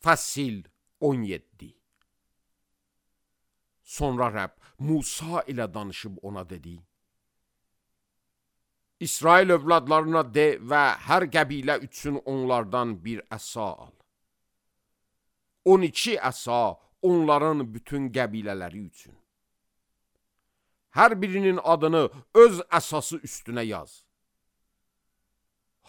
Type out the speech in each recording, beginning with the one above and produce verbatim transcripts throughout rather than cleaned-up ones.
Fəsil on yeddi. Sonra Rəbb Musa ilə danışıb ona dedi: İsrail övladlarına de və hər qəbilə üçün onlardan bir əsa al. on iki əsa onların bütün qəbilələri üçün. Hər birinin adını öz əsası üstünə yaz.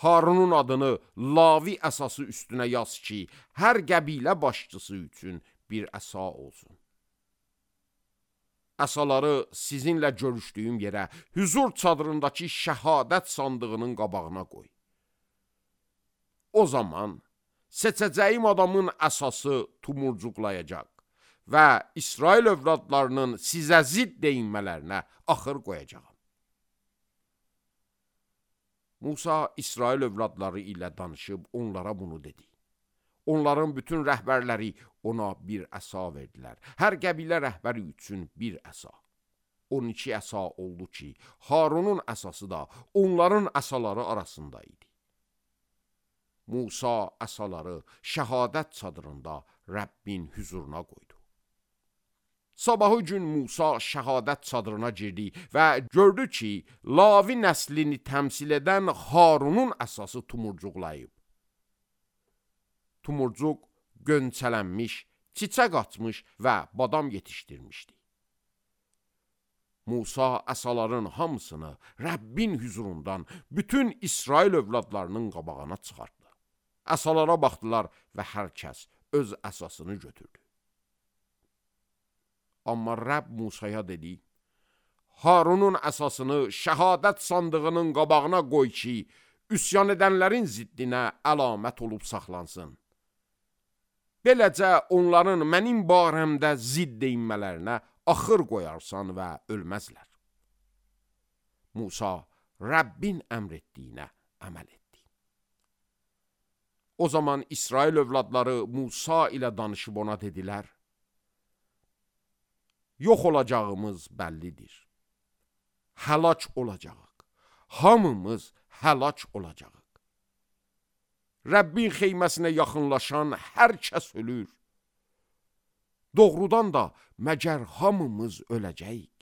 Harunun adını Lavi əsası üstünə yaz ki, hər qəbilə başçısı üçün bir əsa olsun. Əsaları sizinlə görüşdüyüm yerə, hüzur çadırındakı şəhadət sandığının qabağına qoy. O zaman seçəcəyim adamın əsası tumurcuqlayacaq və İsrail övladlarının sizə zidd deyinmələrinə axır qoyacağam. Musa İsrail övladları ilə danışıb onlara bunu dedi. Onların bütün rəhbərləri ona bir əsa verdilər. Hər qəbilə rəhbəri üçün bir əsa. on iki əsa oldu ki, Harunun əsası da onların əsaları arasında idi. Musa əsaları şəhadət çadırında Rəbbin hüzuruna qoydu. Sabahı gün Musa şəhadət çadırına girdi və gördü ki, Lavi nəslini təmsil edən Harunun əsası tumurcuqlayıb. Tumurcuq gönçələnmiş, çiçək açmış və badam yetişdirmişdi. Musa əsaların hamısını Rəbbin hüzurundan bütün İsrail övladlarının qabağına çıxartdı. Əsalara baxdılar və hər kəs öz əsasını götürdü. Amma Rəbb Musaya dedi: Harunun əsasını şəhadət sandığının qabağına qoy ki, üsyan edənlərin ziddinə əlamət olub saxlansın. Beləcə onların mənim barəmdə zidd deyinmələrinə axır qoyarsan və ölməzlər. Musa Rəbbin əmr etdiyinə əməl etdi. O zaman İsrail övladları Musa ilə danışıb ona dedilər: Yox olacağımız bəllidir. Həlak olacağıq. Hamımız həlak olacağıq. Rəbbin xeyməsinə yaxınlaşan hər kəs ölür. Doğrudan da məgər hamımız öləcəyik?